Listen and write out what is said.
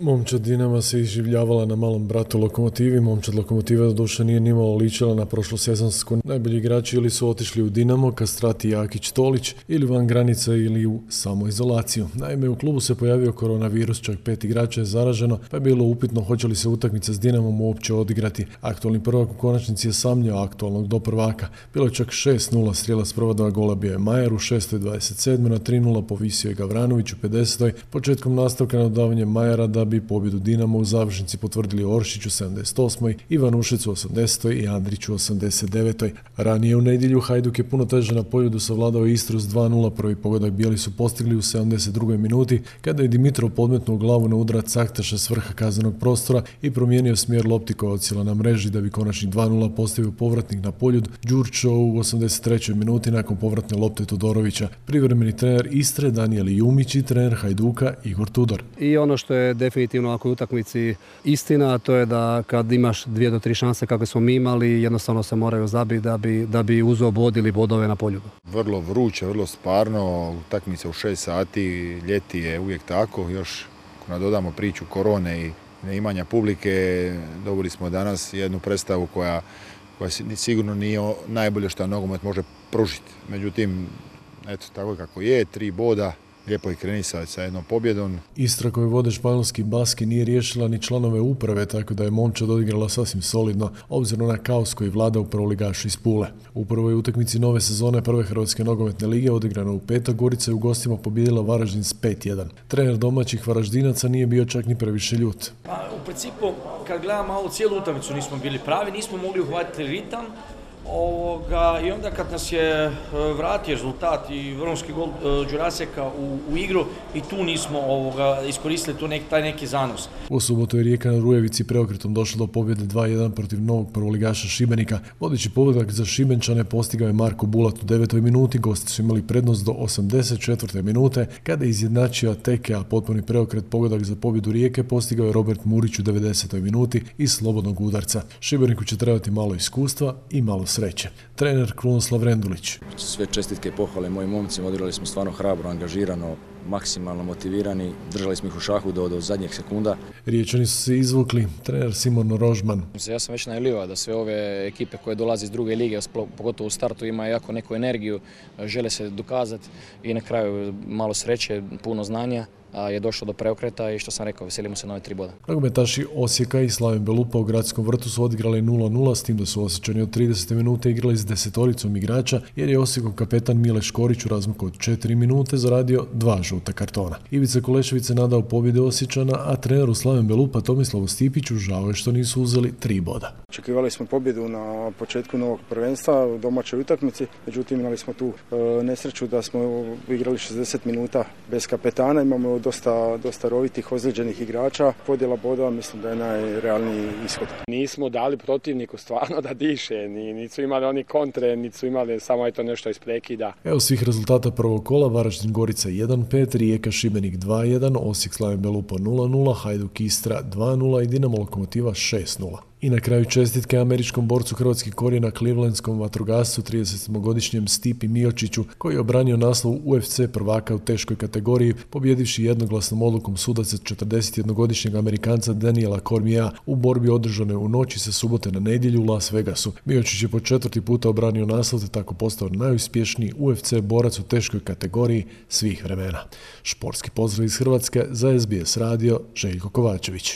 Momčad Dinama se iživljavala na malom bratu Lokomotivi. Momčad Lokomotiva doduše nije nimalo ličila na prošlosezonsku. Najbolji igrači ili su otišli u Dinamo, Kastrati, Jakić, Tolić, ili van granica ili u samoizolaciju. Naime, u klubu se pojavio koronavirus, čak 5 igrača je zaraženo, pa je bilo upitno hoće li se utakmica s Dinamom uopće odigrati. Aktualni prvak u konačnici je samljao aktualnog do prvaka. Bilo je čak 6-0, strijelac prva dva gola bio je Majer u 6.27. na 3-0 povisio je Gavranović u 50. Početkom nastavka na dodavanje Majera da bi pobjedu Dinamo u završnici potvrdili Oršić u 78. Ivan Ušec u 80. i Andrić u 89. Ranije u nedjelju Hajduk je puno teže na poljudu savladao Istru s 2-0. Prvi pogodak bijeli su postigli u 72. minuti kada je Dimitrov podmetnuo glavu na udarac Aktaša s vrha kaznenog prostora i promijenio smjer lopti koja odsjela na mreži da bi konačni 2-0 postavio povratnik na poljud Đurčo u 83. minuti nakon povratne lopte Todorovića. Privremeni trener Istre Danijel Jumić i trener Hajduka Igor Tudor. I ono što je definitivno ako u utakmici istina, to je da kad imaš 2 do 3 šanse kakve smo mi imali, jednostavno se moraju zabiti da bi uzo bod ili bodove na poljudu. Vrlo vruće, vrlo sparno, utakmica u 6 sati, ljeti je uvijek tako, još ako nadodamo priču korone i neimanja publike, dobili smo danas jednu predstavu koja sigurno nije najbolje što nogomet može pružiti. Međutim, eto, tako kako je, 3 boda, lijepo je kreni sa jednom pobjedom. Istra koju vode španjolski Baski nije riješila ni članove uprave, tako da je Momčad odigrala sasvim solidno, obzirom na kaos koji vlada u prvoligašu iz Pule. U prvoj utakmici nove sezone prve Hrvatske nogometne lige odigrano u petak, Gorica je u gostima pobijedila Varaždin s 5-1. Trener domaćih Varaždinaca nije bio čak ni previše ljut. U principu, kad gledamo malo cijelu utakmicu nismo bili pravi, nismo mogli uhvatiti ritam. I onda kad nas je vratio rezultat i vrhunski gol Đuraseka u igru i tu nismo iskoristili taj neki zanos. U subotu je Rijeka na Rujevici preokretom došla do pobjede 2-1 protiv novog prvoligaša Šibenika. Vodeći pogodak za Šibenčane postigao je Marko Bulat u 9. minuti, gosti su imali prednost do 84. minute kada je izjednačio Teke, a potpuni preokret pogodak za pobjedu Rijeke postigao je Robert Murić u 90. minuti iz slobodnog udarca. Šibeniku će trebati malo iskustva i malo sreće. Trener Krunoslav Rendulić. Sve čestitke i pohvale mojim momcima, odigrali smo stvarno hrabro, angažirano, maksimalno motivirani, držali smo ih u šahu do zadnjeg sekunda. Riječani su se izvukli, trener Simon Rožman. Ja sam već najavljivao da sve ove ekipe koje dolaze iz druge lige, pogotovo u startu, imaju jako neku energiju, žele se dokazati i na kraju malo sreće, puno znanja. Je došlo do preokreta i što sam rekao, veselimo se nove 3 boda. Nogometaši Osijeka i Slaven Belupa u Gradskom vrtu su odigrali 0-0, s tim da su Osječani od 30. minute igrali s 10-oricom igrača, jer je Osijekov kapetan Mile Škorić u razmaku od 4 minute zaradio 2 žuta kartona. Ivica Kulešević se nadao pobjede Osječana, a treneru Slaven Belupa Tomislavu Stipiću žao je što nisu uzeli 3 boda. Očekivali smo pobjedu na početku novog prvenstva u domaćoj utakmici, međutim imali smo tu nesreću da smo igrali 60 minuta bez kapetana, imamo dosta rovitih, ozlijeđenih igrača. Podjela bodova mislim da je najrealniji ishod. Nismo dali protivniku stvarno da diše, nisu imali oni kontre, nisu imali samo nešto iz prekida. Evo svih rezultata prvog kola: Varaždin Gorica 1-5, Rijeka Šibenik 2-1, Osijek Slaven Belupa 0-0, Hajduk Istra 2-0 i Dinamo Lokomotiva 6-0. I na kraju čestitke američkom borcu hrvatskih korijena clevelandskom vatrogascu 37-godišnjem Stipi Miočiću koji je obranio naslov UFC prvaka u teškoj kategoriji pobjedivši jednoglasnom odlukom sudaca 41-godišnjeg Amerikanca Daniela Cormiera u borbi održane u noći sa subote na nedjelju u Las Vegasu. Miočić je po 4. puta obranio naslov te tako postao najuspješniji UFC borac u teškoj kategoriji svih vremena. Športski pozdrav iz Hrvatske za SBS radio, Željko Kovačević.